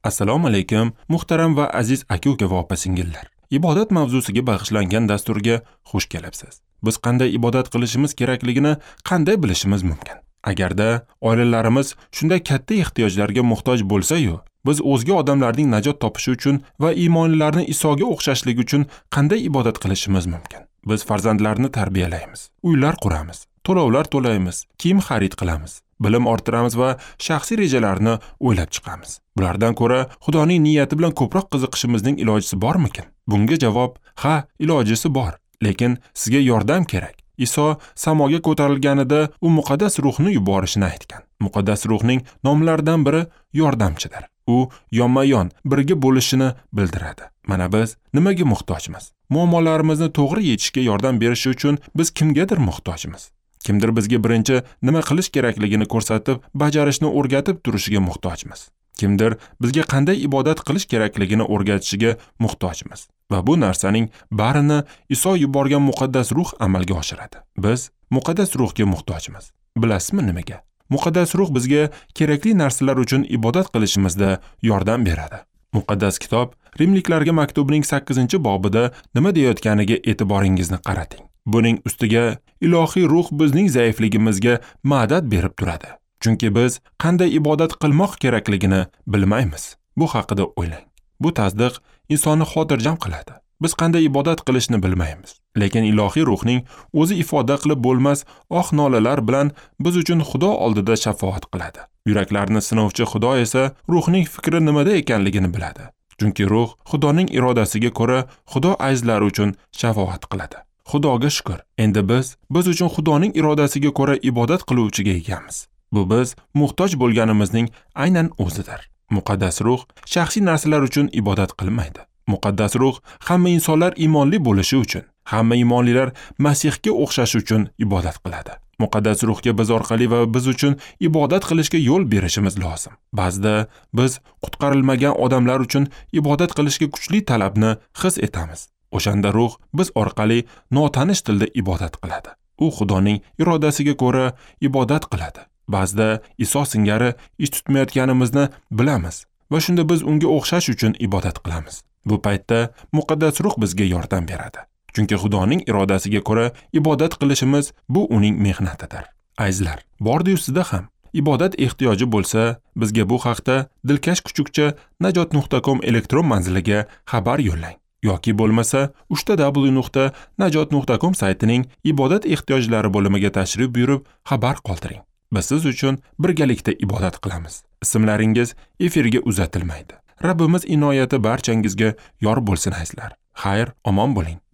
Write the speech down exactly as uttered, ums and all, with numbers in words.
Assalomu alaykum, muhtaram va aziz aka-uka va opa-singillar. Ibodat mavzusiga bag'ishlangan dasturga xush kelibsiz. Biz qanday ibodat qilishimiz kerakligini qanday bilishimiz mumkin? Agarda oilalarimiz shunday katta ehtiyojlarga muhtoj bo'lsa-yu, biz o'zga odamlarning najot topishi uchun va iymonlilarni Isoga o'xshashligi uchun qanday ibodat qilishimiz mumkin? Biz farzandlarni tarbiyalaymiz, uylar quramiz, to'lovlar to'laymiz, kiyim xarid qilamiz, bilim orttiramiz va shaxsiy rejalarni o'ylab chiqamiz. Bulardan ko'ra Xudoning niyati bilan ko'proq qiziqishimizning ilojisi bormikin? Bunga javob ha, ilojisi bor, lekin sizga yordam kerak. Iso samoga ko'tarilganida u muqaddas ruhni yuborishini aytgan. Muqaddas ruhning nomlaridan biri yordamchidir. U yonma-yon birga bo'lishini bildiradi. Mana biz nimaga muhtojmiz? Muammolarimizni to'g'ri yechishga yordam berishi uchun biz kimgadir muhtojmiz. Kimdir bizga birinchi nima qilish kerakligini ko'rsatib, bajarishni o'rgatib turishiga muhtojmiz. Kimdir bizga qanday ibodat qilish kerakligini o'rgatishiga muhtojmiz. Va bu narsaning barini Iso yuborgan muqaddas ruh amalga oshiradi. Biz muqaddas ruhga muhtojmiz. Bilasizmi nimaga? Muqaddas ruh bizga kerakli narsalar uchun ibodat qilishimizda yordam beradi. Muqaddas kitob Rimliklarga maktubining sakkizinchi bobida nima deyotganiga e'tiboringizni qarating. Buning ustiga ilohiy ruh bizning zaifligimizga madad berib turadi. Chunki biz qanday ibodat qilmoq kerakligini bilmaymiz. Bu haqida o'ylang. Bu tasdiq insonni xotirjam qiladi. Biz qanday ibodat qilishni bilmaymiz. Lekin ilohiy ruhning o'zi ifoda qilib bo'lmas oh nolalar bilan biz uchun Xudo oldida shafoat qiladi. Yuraklarni sinovchi Xudo esa ruhning fikri nimada ekanligini biladi. Chunki ruh Xudoning irodasiga ko'ra Xudo azizlari uchun shafoat qiladi. Xudoga shukr. Endi biz biz uchun Xudoning irodasiga ko'ra ibodat qiluvchiga egamiz. Bu biz muhtoj bo'lganimizning aynan o'zidir. Muqaddas ruh shaxsiy narsalar uchun ibodat qilmaydi. Muqaddas ruh hamma insonlar iymonli bo'lishi uchun, hamma iymonlilar Masihga o'xshashi uchun ibodat qiladi. Muqaddas ruhga biz orqali va biz uchun ibodat qilishga yo'l berishimiz lozim. Ba'zida biz qutqarilmagan odamlar uchun ibodat qilishga kuchli talabni his etamiz. O'shanda ruh biz orqali notanish tilda ibodat qiladi. U Xudoning irodasiga ko'ra ibodat qiladi. Ba'zida Iso singari ish tutmayotganimizni bilamiz va shunda biz unga o'xshash uchun ibodat qilamiz. Bu paytda muqaddas ruh bizga yordam beradi. Chunki Xudoning irodasiga ko'ra ibodat qilishimiz bu uning mehnatidir. Azizlar, bordi-yu sizda ham ibodat ehtiyoji bo'lsa, bizga bu haqda dilkash kuchukcha najot nuqta com elektron manziliga xabar yo'llang. Yoki bo'lmasa uchta w nuqta najot nuqta com saytining ibodat ehtiyojlari bo'limiga tashrif buyurib xabar qoldiring. Biz siz uchun birgalikda ibodat qilamiz. Ismlaringiz efirga uzatilmaydi. Rabbimiz inoyati barchangizga yor bo'lsin azizlar. Xayr, omon bo'ling.